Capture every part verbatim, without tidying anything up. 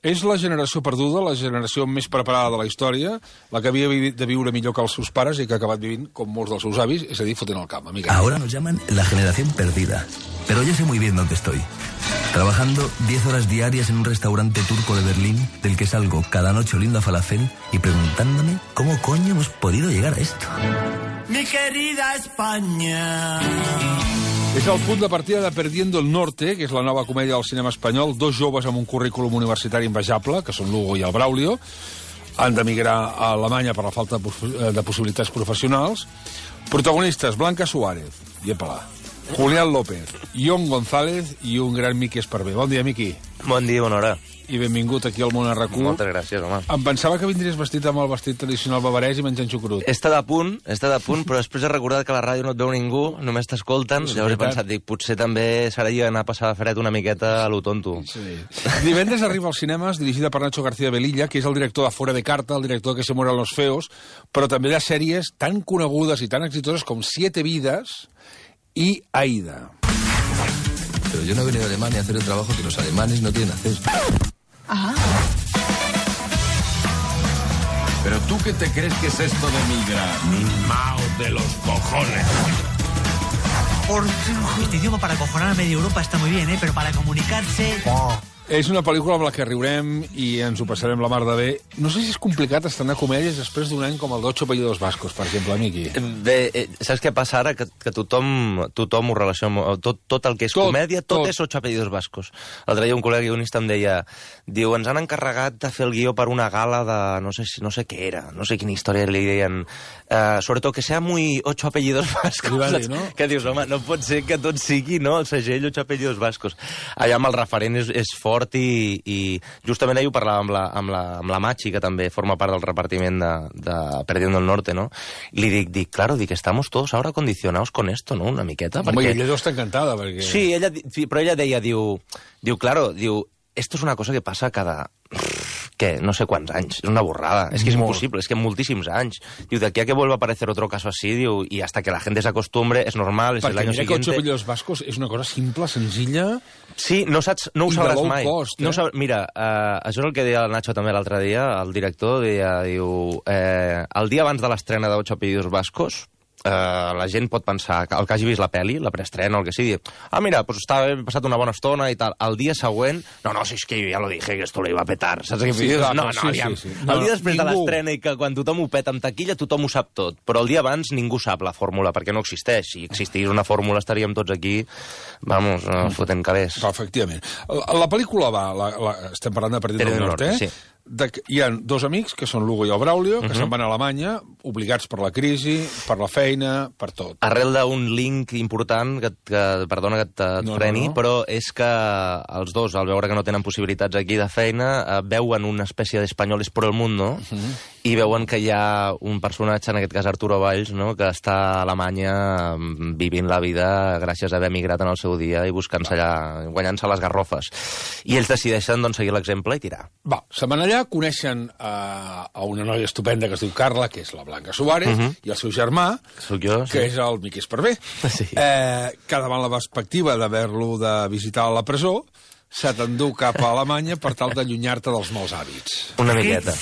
És la generació perduda, la generació més preparada de la història, la que havia de viure millor que els seus pares i que ha acabat vivint com molts dels seus avis, és a dir, fotent el camp. Amiga. Ahora nos llaman la generación perdida, pero yo sé muy bien dónde estoy. Trabajando diez horas diarias en un restaurante turco de Berlín, del que salgo cada noche oliendo a falafel y preguntándome cómo coño hemos podido llegar a esto. Mi querida España... És el punt de partida de Perdiendo el Norte, que és la nova comèdia del cinema espanyol. Dos joves amb un currículum universitari invejable, que són l'Hugo i el Braulio, han d'emigrar a Alemanya per la falta de possibilitats professionals. Protagonistes, Blanca Suárez, llepa-la, Julián López, Ion González i un gran Miqui Esparvé. Bon dia, Miqui. Bon dia, bona hora. I benvingut aquí al Món R Q. Moltes gràcies, home. Em pensava que vindries vestit amb el vestit tradicional bavarès i menjant xucrut. He estat a punt, he estat a punt, però després he recordat que a la ràdio no et veu ningú, només t'escolten, sí, llavors he pensat, dic, potser també serà jo anar a passar fred una miqueta a lo tonto. Sí. Divendres arriba als cinemes, dirigida per Nacho García Velilla, que és el director de Fuera de Carta, el director de Que se mueran los feos, però també de sèries tan conegudes i tan exitoses com Siete vidas i Aida. Pero yo no he venido a Alemania a hacer el trabajo que los alemanes no quieren hacer. Ah. ¿Pero tú qué te crees que es esto de migrar? Mao de los cojones. Por este idioma para acojonar a media Europa está muy bien, ¿eh? Pero para comunicarse... Oh. És una pel·lícula amb la que riurem i ens ho passarem la mar de bé. No sé si és complicat estrenar comèdies després d'un any com el d'Ocho apellidos vascos, per exemple, Miqui. Bé, eh, saps què passa ara? Que, que tothom, tothom ho relaciona... Tot, tot el que és tot, comèdia, tot, tot és Ocho apellidos vascos. L'altre dia un col·lega guionista em deia, diu, ens han encarregat de fer el guió per una gala de... no sé, no sé què era, no sé quina història li deien... Uh, sobretot que sea muy Ocho apellidos vascos. Dir, no? Que dius, home, no pot ser que tot sigui, no?, el segell Ocho apellidos vascos. Allà amb el referent és, és fort i, i justament ahir ho parlàvem amb la, amb, la, amb la Machi, que també forma part del repartiment de, de Perdiendo el Norte, no? I li dic, dic, claro, dic, estamos todos ahora condicionados con esto, no?, una miqueta. Home, perquè... ella deu estar encantada, perquè... Sí, ella, però ella deia, diu, diu, claro, diu, esto es una cosa que passa cada... ¿Qué? No sé quants anys. És una borrada. És que és Molt. impossible, és que moltíssims anys. Diu, de aquí a que vuelva a aparecer otro caso así, diu, y hasta que la gente se acostumbre, es normal, es el año siguiente. Perquè mira que Ocho apellidos vascos és una cosa simple, senzilla... Sí, no saps, no ho sabràs mai. Cost, eh? No sab... Mira, uh, això és el que deia el Nacho també l'altre dia, el director, deia, diu, eh, el dia abans de l'estrena d'Ocho apellidos vascos, Uh, la gent pot pensar, el que hagi vist la peli, la preestrena o el que sigui, ah, mira, pues està, he passat una bona estona i tal. El dia següent, no, no, si és que jo ja lo dije, que esto lo iba a petar. Saps què? Sí, no, no, no, sí, aviam. sí, sí. No, el dia després ningú... de l'estrena i que quan tothom ho peta amb taquilla, tothom ho sap tot. Però el dia abans ningú sap la fórmula, perquè no existeix. Si existís una fórmula estaríem tots aquí, vamos, uh, fotent calés. Efectivament. La, la pel·lícula va, la, la, estem parlant de Perdiendo el Norte, eh? Sí. De, hi ha dos amics, que són l'Hugo i el Braulio, que uh-huh. se'n van a Alemanya, obligats per la crisi, per la feina, per tot. Arrel d'un link important, que, que perdona que et no, freni, no, no. però és que els dos, al veure que no tenen possibilitats aquí de feina, eh, veuen una espècie d'espanyoles por el mundo, uh-huh. i veuen que hi ha un personatge, en aquest cas Arturo Valls, no?, que està a Alemanya vivint la vida gràcies a haver emigrat en el seu dia i buscant-se allà, guanyant-se les garrofes. I ells decideixen, doncs, seguir l'exemple i tirar. Va, se'n van allà, coneixen uh, a una noia estupenda que es diu Carla, que és la Blanca Suárez, uh-huh. i el seu germà, Soc jo, sí. que és el Miqui Esparvé, sí. eh, que davant la perspectiva d'haver-lo de visitar a la presó, se t'endú cap a Alemanya per tal d'allunyar-te dels mals hàbits. Una miqueta.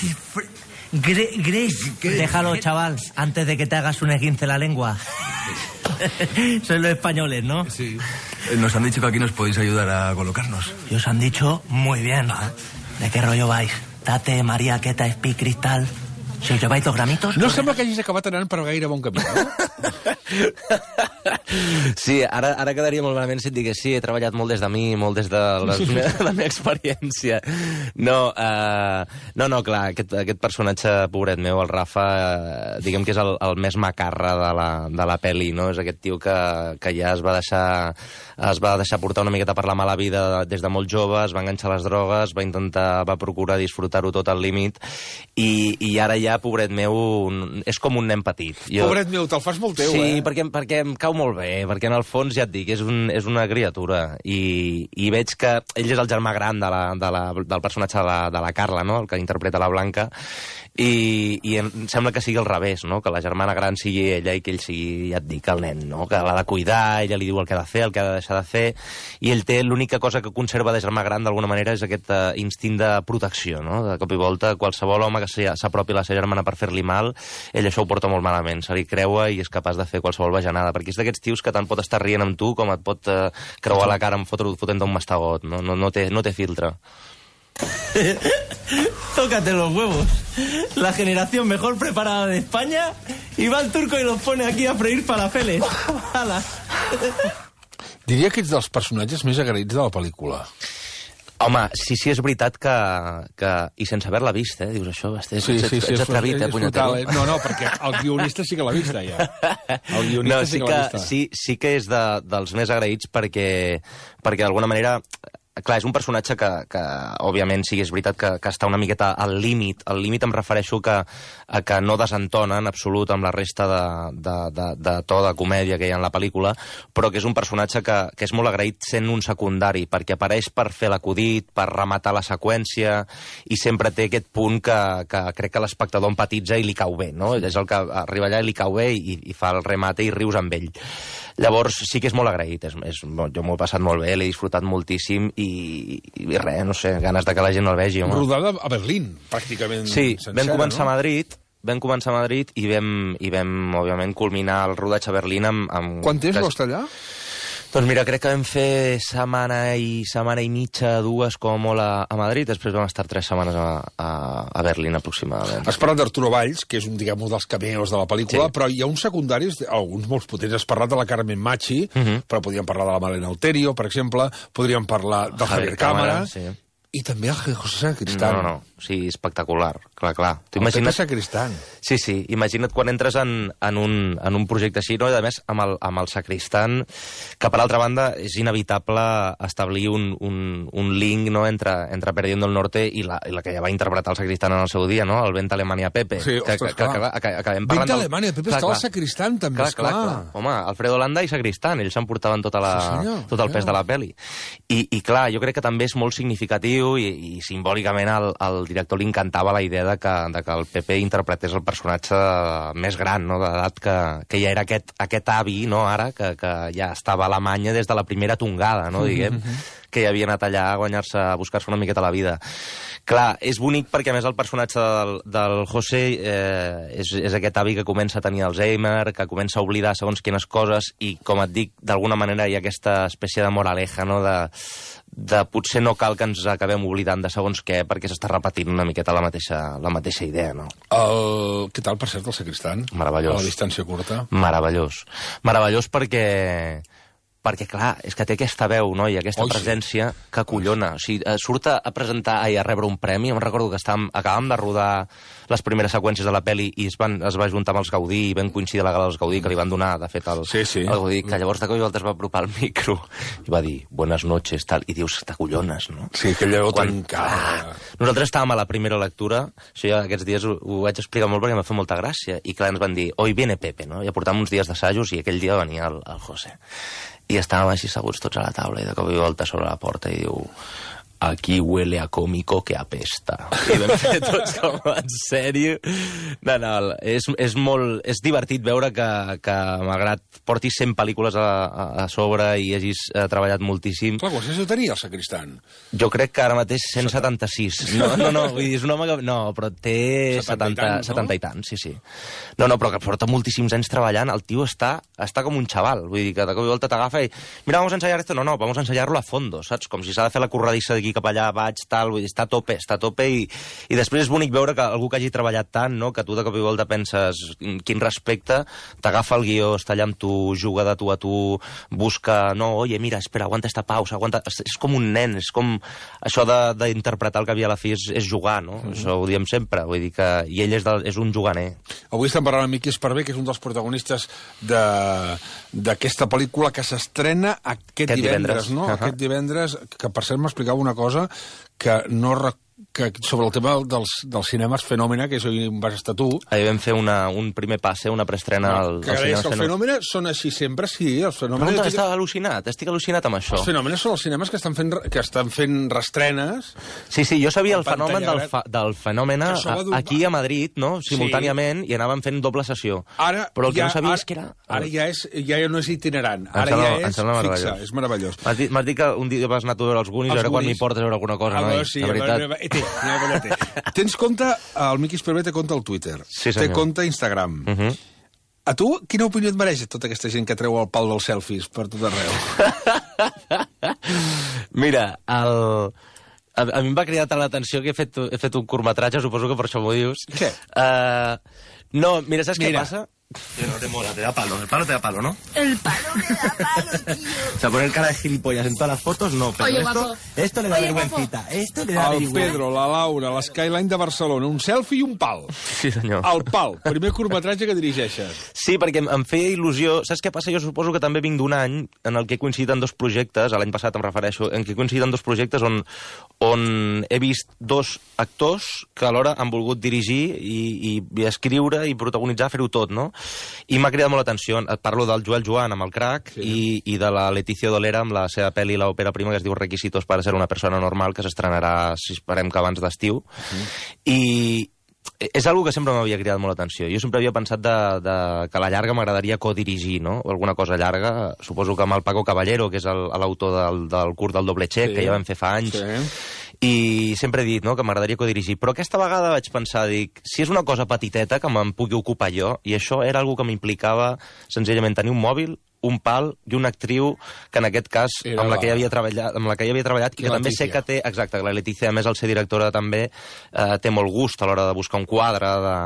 Gre Gres, déjalo, chaval, antes de que te hagas un esguince la lengua. Sois los españoles, ¿no? Sí. Nos han dicho que aquí nos podéis ayudar a colocarnos. Y os han dicho muy bien. ¿De qué rollo vais? Tate, María, Queta, Espi, Cristal... Si us llevais dos gramitos... No sembla que hagis acabat anant per gaire bon camí, no? Sí, ara, ara quedaria molt malament si et digués sí, he treballat molt des de mi, molt des de la, de la meva experiència. No, uh, no, no, clar, aquest, aquest personatge, pobret meu, el Rafa, uh, diguem que és el, el més macarra de la, de la pel·li, no? És aquest tio que, que ja es va deixar es va deixar portar una miqueta per la mala vida des de molt jove, es va enganxar a les drogues, va intentar, va procurar disfrutar-ho tot al límit, i, i ara ja, pobret meu, és com un nen petit. Jo... Pobret meu, te'l fas molt teu, sí, eh? Sí, perquè, perquè em cau molt bé, perquè en el fons, ja et dic, és, un, és una criatura, i, i veig que ell és el germà gran de la, de la, del personatge de la, de la Carla, no?, el que interpreta la Blanca. I, i em sembla que sigui al revés, no? Que la germana gran sigui ella i que ell sigui, ja et dic, el nen, no? Que l'ha de cuidar, ella li diu el que ha de fer, el que ha de deixar de fer, i ell té l'única cosa que conserva de germà gran d'alguna manera és aquest uh, instint de protecció, no? De cop i volta, qualsevol home que s'apropi a la seva germana per fer-li mal, ell això ho porta molt malament, se li creua i és capaç de fer qualsevol bajanada, perquè és d'aquests tios que tant pot estar rient amb tu com et pot uh, creuar la cara amb fotent un mastegot, no? No, no, té, no té filtre. Tócate los huevos. La generación mejor preparada de España y va el turco y los pone aquí a freír falafeles. ¡Hala! Diria que ets dels personatges més agraïts de la pel·lícula. Home, sí, sí, és veritat que... que i sense haver-la vist, eh? Dius això, ets, sí, sí, sí, ets atrevit, eh, punyetero? Eh? No, no, perquè el guionista sí que l'ha vista, ja. El guionista no, sí, sí que l'ha vista. Sí, sí que és de, dels més agraïts perquè, perquè d'alguna manera... Clar, és un personatge que, que òbviament, sí, és veritat que, que està una miqueta al límit. Al límit em refereixo que, a que no desentona en absolut amb la resta de, de, de, de to de comèdia que hi ha en la pel·lícula, però que és un personatge que, que és molt agraït sent un secundari, perquè apareix per fer l'acudit, per rematar la seqüència, i sempre té aquest punt que, que crec que l'espectador empatitza i li cau bé, no? És el que arriba allà i li cau bé i, i fa el remate i rius amb ell. Llavors, sí que és molt agraït. És, és, jo m'ho he passat molt bé, l'he disfrutat moltíssim i, i, i res, no sé, ganes de que la gent el vegi. Home. Rodada a Berlín, pràcticament sí, sencera, vam començar no? a Madrid, vam començar a Madrid i vam, i vam, òbviament, culminar el rodatge a Berlín amb... amb Quant temps vas estar allà? Doncs mira, crec que vam fer setmana i setmana i mitja, dues, com a molt a, a Madrid, després vam estar tres setmanes a, a, a Berlín, aproximadament. Has parlat d'Arturo Valls, que és un, diguem, un dels cameos de la pel·lícula, sí. Però hi ha uns secundaris, alguns molts potents. Has parlat de la Carmen Machi, uh -huh. però podríem parlar de la Malena Alterio, per exemple, podríem parlar del Javier, Javier Cámara, sí. I també el José Sacristán. No, no, no, sí, espectacular, clar, clar. Tu imagina't... Sacristán. Sí, sí, imagina't quan entres en, en, un, en un projecte així, no? I a més, amb el, amb el Sacristán, que per altra banda és inevitable establir un, un, un link, no?, entre, entre Perdiendo el Norte i la, i la que ja va interpretar el Sacristán en el seu dia, no?, el Vent Alemanya Pepe. Sí, que, ostres, que, que, que, que acabem parlant... Vent Alemanya Pepe, estava el Sacristán, també, clar, clar, clar. Home, Alfredo Landa i Sacristán, ells s'emportaven tota la, sí, senyor, tot el pes de la pel·li. I, I clar, jo crec que també és molt significatiu i, i simbòlicament al, al director li encantava la idea de que, de que el Pepe interpretés el personatge més gran, no?, d'edat, que, que ja era aquest, aquest avi, no?, ara, que, que ja estava a Alemanya des de la primera tongada, no?, diguem, mm-hmm. que ja havia anat allà a guanyar-se, a buscar-se una miqueta la vida. Clar, és bonic perquè, a més, el personatge del, del José eh, és, és aquest avi que comença a tenir Alzheimer, que comença a oblidar segons quines coses i, com et dic, d'alguna manera hi ha aquesta espècie de moraleja, no?, de, de potser no cal que ens acabem oblidant de segons què perquè s'està repetint una miqueta la mateixa, la mateixa idea, no? El... Què tal, per cert, el Sacristán? Meravellós. A la distància curta. Meravellós. Meravellós perquè... perquè, clar, és que té aquesta veu, no?, i aquesta Oi, presència sí. que collona. O sigui, surt a presentar i a rebre un premi. Em recordo que estàvem, acabàvem de rodar les primeres seqüències de la pel·li i es, van, es va juntar amb els Gaudí i vam coincidir a la gala dels Gaudí que li van donar, de fet, el, sí, sí. el Gaudí, que llavors de cop i volta es va apropar al micro i va dir, buenas noches, tal, i dius, t'acollones, no? Sí, que allò tancada. Nosaltres estàvem a la primera lectura, això ja aquests dies ho, ho vaig explicar molt perquè em va fer molta gràcia, i clar, ens van dir, hoy viene Pepe, no? Ja portàvem uns dies d'assajos i aquell dia venia el, el José. I estàvem així seguts tots a la taula i de cop i volta sobre la porta i diu aquí huele a cómico que apesta. I vam fer tots com, en sèrio? No, no, és, és molt... És divertit veure que, que malgrat portis cent pel·lícules a, a, a sobre i hagis eh, treballat moltíssim... Clar, quants anys tenia el Sacristán? Jo crec que ara mateix cent setanta-sis. No, no, no, vull dir, és un home que... No, però té setanta, setanta i tants, sí, sí. No, no, però que porta moltíssims anys treballant, el tio està, està com un xaval, vull dir, que de cop i volta t'agafa i... Mira, vamos a ensayar esto. No, no, vamos a ensayar-lo a fondo, saps? Com si s'ha de fer la corredissa d'aquí cap allà, vaig, tal, vull dir, està a tope, està a tope i, i després és bonic veure que algú que hagi treballat tant, no?, que tu de cop i volta penses quin respecte, t'agafa el guió, està allà amb tu, juga de tu a tu, busca, no, oye, mira, espera, aguanta esta pausa, aguanta... És com un nen, és com... Això d'interpretar el que havia a la fi és, és jugar, no? Mm. Això ho diem sempre, vull dir que... I ell és, de, és un juganer. Avui estem parlant amb Miqui Esparvé, que és un dels protagonistes d'aquesta pel·lícula que s'estrena aquest, aquest divendres, divendres, no? Uh -huh. Aquest divendres, que per cert m'explicava una cosa que no, que sobre el tema dels, dels cinemes Fenòmena, que és on vas estar tu... Ahir vam fer una, un primer passe, una preestrena al, que al és, cinema els Fenòmena són així sempre, sí. Els Fenòmena... No, estic al·lucinat, estic al·lucinat amb això. Els Fenòmena són els cinemes que estan fent, que estan fent restrenes... Sí, sí, jo sabia el fenomen del, fa, del Fenòmena aquí a Madrid, no?, simultàniament, sí. I anàvem fent doble sessió. Ara, però el que ja, no sabia ara, és que era... Ara ja, és, ja no és itinerant, ara sembla, ja és fixa, és meravellós. M'has dit, dit que un dia vas anar a veure els Goonies, ara quan m'hi portes a veure alguna cosa, no? Sí, de veritat. Té, té. Tens compte, el Miqui Esparvé té compte al Twitter, sí, té compte a Instagram. Uh -huh. A tu, quina opinió et mereix tota aquesta gent que treu el pal dels selfies per tot arreu? Mira, el... A, a mi em va cridar tant l'atenció que he fet, he fet un curtmetratge, suposo que per això m'ho dius. Què? Uh, no, mira, saps mira. Què passa? No te mola, te da palo. El palo te da palo, ¿no? El palo me da palo, tío. O sea, poner cara de gilipollas en todas las fotos, no. Pero Oye, esto, esto le da Oye, vergüencita. Esto le da el vergüenza. Pedro, la Laura, l'Skyline de Barcelona, un selfie i un pal. Sí, senyor. El pal, primer curtmetratge que dirigeixes. Sí, perquè em, em feia il·lusió... Saps què passa? Jo suposo que també vinc d'un any en el que he coincidit en dos projectes, l'any passat em refereixo, en què he coincidit en dos projectes on, on he vist dos actors que alhora han volgut dirigir i, i, i escriure i protagonitzar, fer-ho tot, no? I m'ha cridat molt l'atenció. Et parlo del Joel Joan amb el Crac, sí. i, i de la Leticia Dolera amb la seva pel·li l'òpera prima que es diu Requisitos para ser una persona normal, que s'estrenarà, si esperem que abans d'estiu. Sí. I és algo que sempre m'havia cridat molt l'atenció. Jo sempre havia pensat de, de, que a la llarga m'agradaria codirigir, no? O alguna cosa llarga. Suposo que amb el Paco Caballero, que és l'autor del, del curt del Doble Check, sí. que ja vam fer fa anys. Sí. I sempre he dit, no?, que m'agradaria codirigir. Però aquesta vegada vaig pensar, dic, si és una cosa petiteta que me'n pugui ocupar jo, i això era algo que m'implicava senzillament tenir un mòbil, un pal i una actriu que en aquest cas era amb la, la... que ja havia treballat, amb la que ja havia treballat i que també sé que té, exacte, la Letícia, a més, al ser directora també eh, té molt gust a l'hora de buscar un quadre de...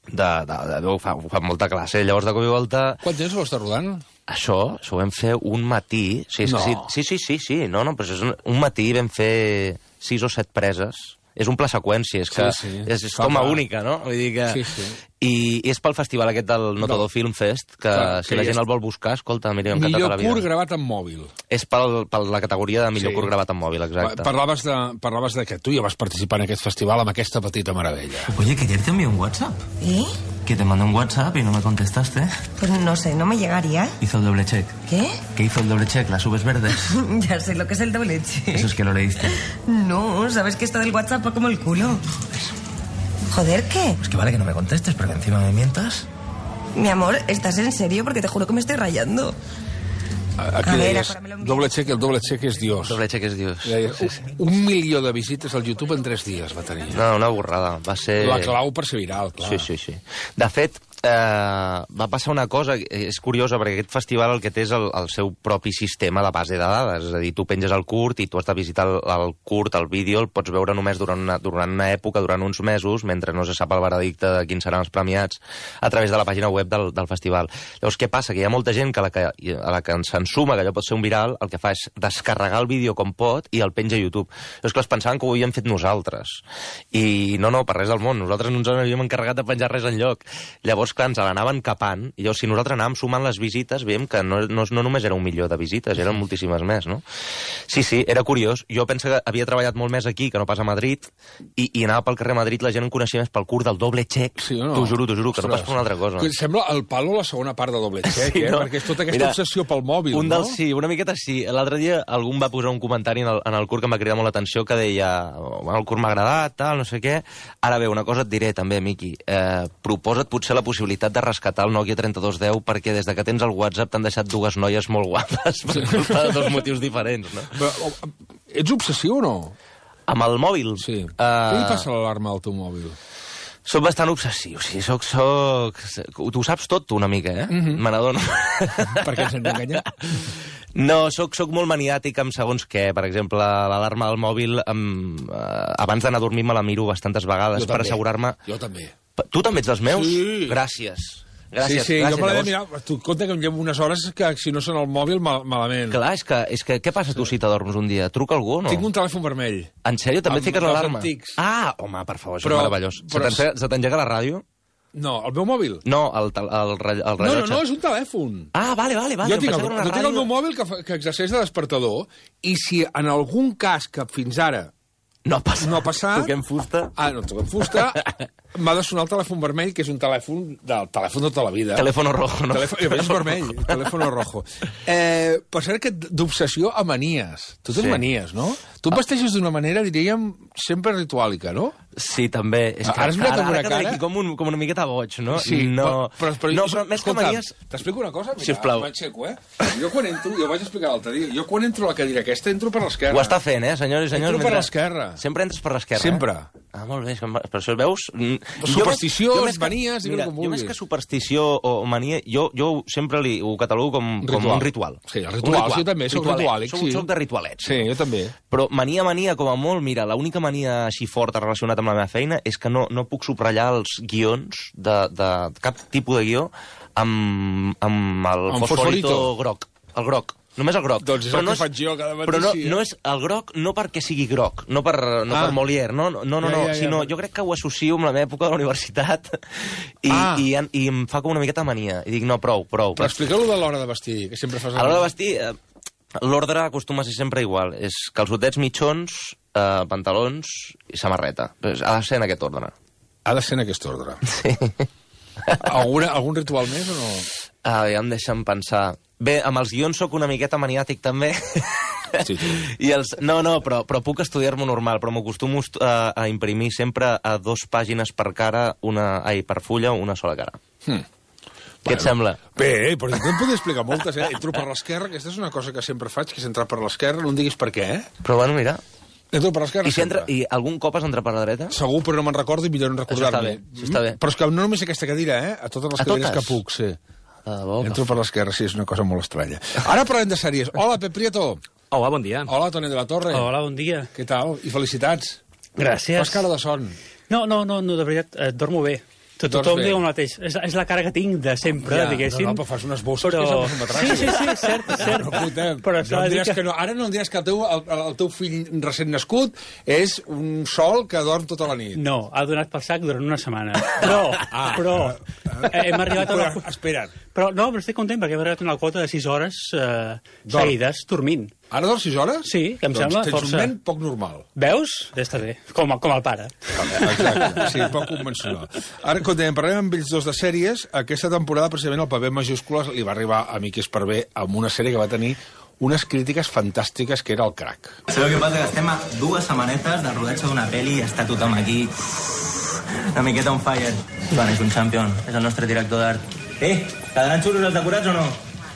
de, de, de, de fa, fa molta classe. Llavors, de cop i volta... Quant temps ho està rodant? Això, això ho vam fer un matí. Sí, no. sí, sí, sí, sí, sí, no, no, però és un, un matí vam fer sis o set preses. És un pla seqüència, és que sí, sí. és, és toma única, no? Vull dir que... Sí, sí. I, I és pel festival aquest del No Todo Film Fest, que clar, si que la gent és... el vol buscar, escolta, mira, encantat a la vida. Millor curt gravat amb mòbil. És per la categoria de millor sí. curt gravat amb mòbil, exacte. Parlaves de, parlaves de que tu ja vas participar en aquest festival amb aquesta petita meravella. Oye, que ayer te envié un WhatsApp. ¿Y? Que te mandé un WhatsApp y no me contestaste. Pues no sé, no me llegaría. Hizo el doble check. ¿Qué? Que hizo el doble check, las subes verdes. Ya sé lo que es el doble check. Eso es que lo leíste. No, sabes que esto del WhatsApp va como el culo. Joder, ¿qué? Pues que vale que no me contestes, pero que encima me mientas. Mi amor, ¿estás en serio? Porque te juro que me estoy rayando. Aquí a deies, doble check, el doble check és Dios. Doble check és Dios. Deies, sí, sí. Un milió de visites al YouTube en tres dies va tenir. No, una borrada. Va ser... La clau per ser viral, clar. Sí, sí, sí. De fet, eh, va passar una cosa, és curiosa, perquè aquest festival el que té és el, el seu propi sistema de base de dades. És a dir, tu penges el curt i tu has de visitar el, el curt, el vídeo, el pots veure només durant una, durant una època, durant uns mesos, mentre no se sap el veredicte de quins seran els premiats, a través de la pàgina web del, del festival. Llavors, què passa? Que hi ha molta gent que a la que, a la que se'n suma, que allò pot ser un viral, el que fa és descarregar el vídeo com pot i el penja a YouTube. Llavors, clar, es pensaven que ho havíem fet nosaltres. I no, no, per res del món. Nosaltres no ens havíem encarregat de penjar res enlloc. Llavors, clar, ens l'anaven capant, i llavors, si nosaltres anàvem sumant les visites, veiem que no, no, no només era un milió de visites, eren moltíssimes més, no? Sí, sí, era curiós. Jo penso que havia treballat molt més aquí que no pas a Madrid, i, i anava pel carrer Madrid, la gent em coneixia més pel curt del doble check. Sí, no? T'ho juro, t'ho juro, que no pas per una altra cosa. Sembla el palo la segona part de doble check, sí, eh? No? Perquè és tota aquesta Mira, obsessió pel mòbil, un no? Del, sí, una miqueta sí. L'altre dia algú em va posar un comentari en el, en el curt que em va cridar molt l'atenció, que deia, bueno, el curt m'ha agradat, tal, no sé què. Ara bé, una cosa et diré també, Miqui. Eh, proposa't potser la possibilitat de rescatar el Nokia trenta-dos deu, perquè des de que tens el WhatsApp t'han deixat dues noies molt guapes per culpa de dos motius diferents, no? Però, ets obsessiu o no? Amb el mòbil? Sí. Uh... Què li passa a l'alarma al teu mòbil? Soc bastant obsessiu, sí, soc... soc... Tu saps tot, tu, una mica, eh? Mm-hmm. Me n'adono. Per què ens hem d'enganyar? No, soc, soc molt maniàtic amb segons què. Per exemple, l'alarma del mòbil, amb, eh, abans d'anar a dormir me la miro bastantes vegades per assegurar-me... Jo també. Tu també ets dels meus? Sí. Gràcies. Gràcies, sí, sí, gràcies, jo me l'he de mirar. Tu compte que em llevo unes hores que si no són al mòbil, mal, malament. Clar, és que, és que què passa tu si t'adorms un dia? Truca algú o no? Tinc un telèfon vermell. En sèrio? També amb fiques l'alarma? Antics. Ah, home, per favor, això però, és meravellós. Però... Se t'engega la ràdio? No, el meu mòbil? No, el, el, el, el rellotge. No, no, no, és un telèfon. Ah, vale, vale, vale. Jo tinc, el, jo tinc el meu mòbil que, que exerceix de despertador, i si en algun cas que fins ara No ha passat. No ha passat. Toquem fusta. Ah, no toquem fusta. M'ha de sonar el telèfon vermell, que és un telèfon del telèfon de tota la vida. Telèfono rojo, no? Telèfon, és vermell, telèfono rojo. Eh, per cert, que d'obsessió a manies. Tu tens Sí. manies, no? Tu et vesteixes d'una manera, diríem, sempre rituàlica, no? Sí, també. És que Ara has mirat amb una ara cara- Aquí com, un, com una miqueta boig, no? Sí, no, però, però, no, però més que escolta, manies... t'explico una cosa? Mira, Sisplau. m'aixeco, eh? Jo quan entro, jo ho vaig explicar l'altre dia, jo quan entro a la cadira aquesta, entro per l'esquerra. Ho està fent, eh, senyors i senyors? Entro per mentre- l'esquerra. Sempre entres per l'esquerra, Sempre. Eh? Ah, molt bé, és que em va- per això veus... Mm, Superstició, jo més que- manies, digue-li mira, com jo vulguis. més que superstició o mania, jo, jo sempre li, ho catalogo com, com un ritual. Sí, el Un ritual, jo també, soc Ritualet. rituàlic, Soc, sí. soc de ritualets. Sí, jo també. Però mania, mania, com a molt, mira, l'única mania així forta relacionada amb la meva feina és que no, no puc subratllar els guions de, de cap tipus de guió amb, amb el Amb fosforito fosforito. groc. El groc. Només el groc. Doncs és Però el no que faig jo cada matí, Però no, sí, eh? no és el groc no perquè sigui groc, no per, no Ah. per Molière, no, no, no, no, Ja, no ja, ja. sinó jo crec que ho associo amb la meva època de la universitat i, Ah. i, i em fa com una miqueta mania. I dic, no, prou, prou. Però explica-lo de l'hora de vestir, que sempre fas... A l'hora de vestir, eh, l'ordre acostuma a ser sempre igual. És calçotets mitjons, eh, pantalons i samarreta. Pues ha de ser en aquest ordre. Ha de ser en aquest ordre. Sí. Alguna, algun ritual més o no? Ah, ja em deixen pensar. Bé, amb els guions sóc una miqueta maniàtic, també. Sí, sí. I els... No, no, però, però puc estudiar-m'ho normal, però m'acostumo a, a imprimir sempre a dos pàgines per cara, una... Ai, per fulla, una sola cara. Hmm. Què et sembla? Bé, però jo et podria explicar moltes, eh? Entro per l'esquerra, aquesta és una cosa que sempre faig, que és entrar per l'esquerra, no em diguis per què, eh? Però bueno, mira... Entro per l'esquerra I, si entra, sempre. I algun cop has entrat per la dreta? Segur, però no me'n recordo i millor no Això està recordar-me. bé, això està bé. Però és que no només aquesta cadira, eh? A totes les A cadires totes? que puc, sí. De debò, que Entro per l'esquerra, sí, és una cosa molt estranya. Ara parlem de sèries. Hola, Pep Prieto. Hola, bon dia. Hola, Toni de la Torre. Hola, bon dia. Què tal? I felicitats. Gràcies. Fas cara de son. No, no, no, no de veritat, eh, dormo bé. Tot, Dors tothom bé. diu el mateix. És, és la cara que tinc de sempre, Ja, diguéssim. no, no, però fas unes bosses però... que semblen un matràs. Sí, sí, sí, cert, cert. No, escolta'm, però no s'ha em de dir diràs que no. Ara no em diràs que el teu, el, el teu fill recent nascut és un sol que dorm tota la nit. No, ha donat per sac durant una setmana. Però, Ah, però, eh, hem arribat a una... Però, espera't. Però no, però estic content perquè hem arribat a una quota de sis hores eh, Dorm. seguides dormint. Ara dors sis hores? Sí, que em doncs sembla tens força. un ment poc normal. Veus? Ja està bé, com, com el pare. Exacte, sí, poc convencional. Ara, quan parlem amb ells dos de sèries, aquesta temporada, precisament, el paper majúscules li va arribar a Miquel Esparvé amb una sèrie que va tenir unes crítiques fantàstiques, que era el Crac. Sabeu què passa? Que estem a dues setmanetes de rodatge d'una pel·li i està tothom aquí una miqueta on fire. Joan és un champion, és el nostre director d'art. Eh, quedaran xulos els decorats o no?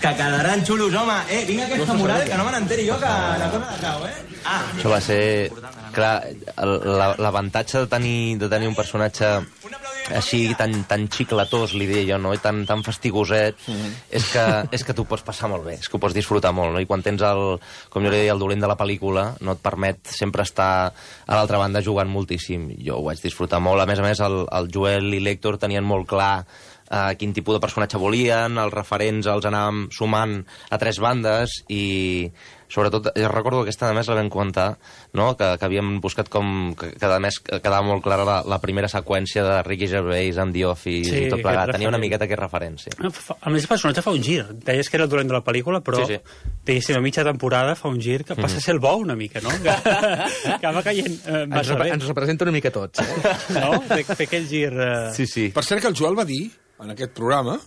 Que quedaran xulos, home! Eh, vinga aquesta moral, que no me n'enteri jo, que la cosa de cau, eh? Ah, Això va ser... Clar, el- la- l'avantatge de tenir, de tenir un personatge així tan, tan xicletós, li diria jo, no? I tan, tan fastigoset, és, que, és que tu pots passar molt bé, és que ho pots disfrutar molt, no? I quan tens el, com jo li deia, el dolent de la pel·lícula, no et permet sempre estar a l'altra banda jugant moltíssim. Jo ho vaig disfrutar molt. A més a més, el, el Joel i l'Héctor tenien molt clar uh, quin tipus de personatge volien, els referents els anàvem sumant a tres bandes i sobretot, jo recordo que aquesta a més la vam comentar, no? que, que havíem buscat com, que, que a més quedava molt clara la, la primera seqüència de Ricky Gervais amb The Office Sí, i tot plegat, aquest tenia una referent. miqueta aquest referència. A més, el personatge fa un gir. Deies que era el dolent de la pel·lícula, però Sí, sí. diguéssim, a mitja temporada fa un gir que passa a ser el bo una mica, no? Que, que va caient eh, Ens, massa rep bé. ens representa una mica tots. Eh? No? Fer, fer aquell gir... Eh... Sí, sí. Per cert, que el Joel va dir, en aquest programa,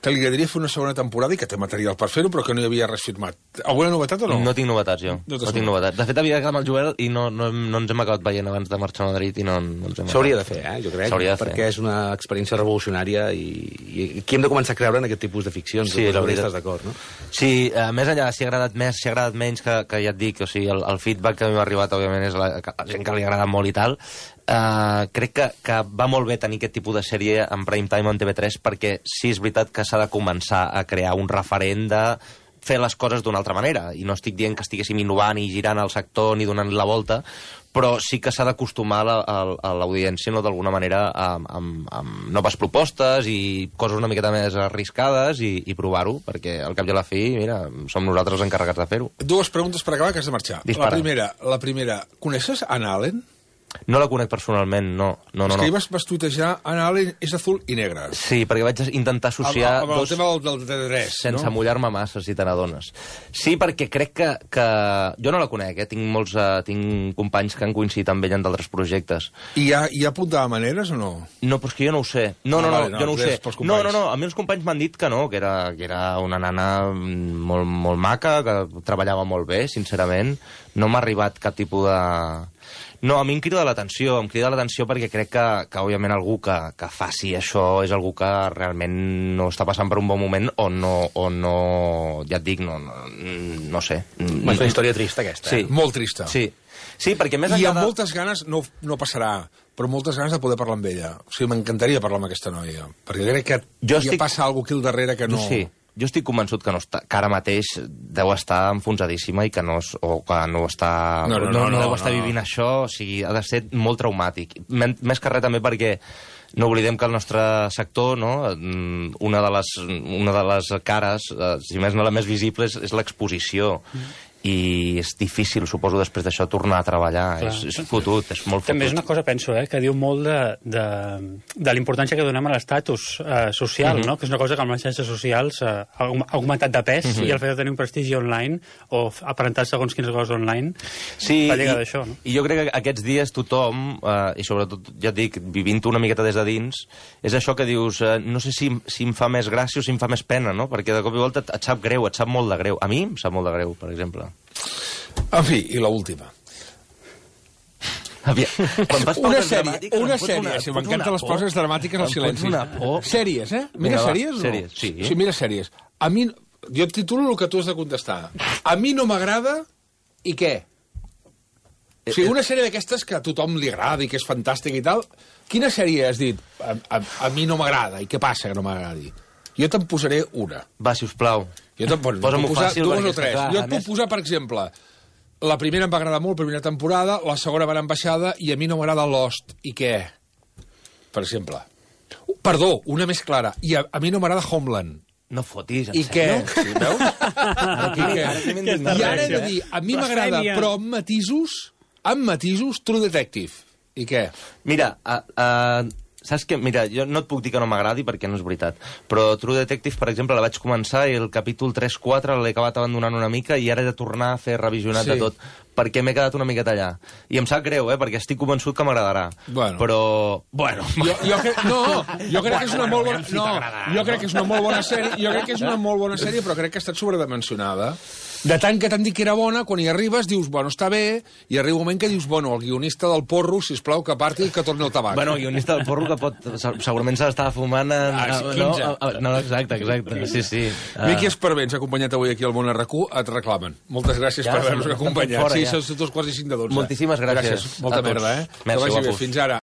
que li agradaria fer una segona temporada i que té material per fer-ho, però que no hi havia res firmat. Alguna novetat o no? No tinc novetats, jo. No No, t'has tinc novetat. novetats. De fet, havia de quedar amb el Joel i no, no, no ens hem acabat veient abans de marxar a Madrid i no, no ens hem S'hauria de acabat. fer, eh, jo crec, S'hauria de fer. perquè és una experiència revolucionària i, i aquí hem de començar a creure en aquest tipus de ficcions. Sí, la veritat. Estàs d'acord, no? Sí, eh, més enllà, si ha agradat més, si ha agradat menys, que, que ja et dic, o sigui, el, el feedback que a mi m'ha arribat, òbviament, és la, que la gent que li ha agradat molt i tal. Uh, crec que, que va molt bé tenir aquest tipus de sèrie en prime time en T V tres perquè sí, és veritat que s'ha de començar a crear un referent de fer les coses d'una altra manera, i no estic dient que estiguéssim innovant i girant el sector ni donant la volta, però sí que s'ha d'acostumar la, a, a l'audiència, no, d'alguna manera, amb, amb, amb noves propostes i coses una miqueta més arriscades i, i provar-ho, perquè al cap i a la fi, mira, som nosaltres els encarregats de fer-ho. Dues preguntes per acabar, que has de marxar. Dispara. La primera, la primera, coneixes Anna Allen? No la conec personalment, no. no, no és que no. hi vas, vas tuitejar Ana Allen és azul i negre. Sí, perquè vaig intentar associar... Amb, amb el dos, tema del, del T tres, sense no? mullar-me massa, si te n'adones. Sí, perquè crec que, que... Jo no la conec, eh? Tinc molts uh, tinc companys que han coincidit amb ella en d'altres projectes. I hi ha, hi ha apuntava maneres o no? No, però és que jo no ho sé. No, Ah, no, no, vale, no, jo no ho és sé. pels No, companys. no, no, a mi els companys m'han dit que no, que era, que era una nana molt, molt maca, que treballava molt bé, sincerament. No m'ha arribat cap tipus de... No, a mi em crida l'atenció, em crida l'atenció perquè crec que, que òbviament, algú que, que faci això és algú que realment no està passant per un bon moment o no, o no ja et dic, no, no, no sé. És una història trista, aquesta. Sí. Eh? Molt trista. Sí, sí, perquè més I enllà amb de... moltes ganes, no, no passarà, però moltes ganes de poder parlar amb ella. O sigui, m'encantaria parlar amb aquesta noia, perquè crec que Jo hi estic- passa alguna cosa aquí al darrere que no... Sí, jo estic convençut que, no està, que ara mateix deu estar enfonsadíssima i que no, es- o que no està... No, no, no, no, no, deu estar no. vivint això, o sigui, ha de ser molt traumàtic. Men- Més que res també perquè no oblidem que el nostre sector, no, mm, una de les, una de les cares, eh, si més no la més visible, és, és l'exposició. Mm. I és difícil, suposo, després d'això tornar a treballar. Clar. És, és fotut, és molt fotut. També és una cosa, penso, eh, que diu molt de, de, de l'importància que donem a l'estatus eh, social, Mhm. no? Que és una cosa que amb les xarxes socials eh, ha aug- ha augmentat de pes Mhm. i el fet de tenir un prestigi online o f- aparentar segons quines coses online Sí, va lligat i, d'això, no? i jo crec que aquests dies tothom, eh, i sobretot, ja et dic, vivint-ho una miqueta des de dins, és això que dius, eh, no sé si, si em fa més gràcia o si em fa més pena, no? Perquè de cop i volta et, et sap greu, et sap molt de greu. A mi em sap molt de greu, per exemple. En fi, i l'última. Aviam, quan fas Una pauses sèrie, dramàtiques, una em fots sèrie, una- si fots m'encanten una les por. pauses dramàtiques al Em fots silenci. una por. Sèries, eh? Mira Vinga, va, sèries o no? sèries, sí. Sí, mira sèries. A mi, jo et titulo el que tu has de contestar. A mi no m'agrada i què? O sigui, una sèrie d'aquestes que a tothom li agrada i que és fantàstica i tal, quina sèrie has dit? A, a, a mi no m'agrada, i què passa que no m'agradi? Jo te'n posaré una. Va, sisplau. Jo te'n bueno, Posa'm-ho puc posar fàcil, dues perquè o tres. és que, clar, jo a et puc més- posar, per exemple, la primera em va agradar molt, primera temporada, la segona va anar en baixada, i a mi no m'agrada Lost. I què? Per exemple. Uh, Perdó, una més clara. I a, a mi no m'agrada Homeland. No fotis, en I què? sèrio? Sí, veus? Ara I què? ara que m'he I indignat. ara he de dir, a mi m'agrada, Blasfèmia. però amb matisos, amb matisos, True Detective. I què? Mira, uh, uh, saps què? Mira, jo no et puc dir que no m'agradi perquè no és veritat, però True Detective, per exemple, la vaig començar i el capítol tres quatre l'he acabat abandonant una mica i ara he de tornar a fer revisionat Sí. de tot, perquè m'he quedat una miqueta allà. I em sap greu, eh, perquè estic convençut que m'agradarà. Bueno. Però, bueno... Jo, jo crec, no, jo crec que és una molt bona... No, jo crec que és una molt bona sèrie, jo crec que és una molt bona sèrie, però crec que ha estat sobredimensionada. De tant que t'han dit que era bona, quan hi arribes dius, bueno, està bé, i arriba un moment que dius, bueno, el guionista del porro, sisplau, que parti i que torni el tabac. Bueno, el guionista del porro que pot... se- segurament se l'estava fumant en... Ah, sí, no, quinze. no, no, exacte, exacte, sí, sí. Ah. Miqui Esparvé ens ha acompanyat avui aquí al Món R Q, et reclamen. Moltes gràcies Ja, per sí, haver-nos estan acompanyat. fora, sí, ja. són dos quarts i cinc de dotze. Moltíssimes gràcies Gràcies, molta a tots. merda, eh? Merci, que vagi bé, guapos. fins ara.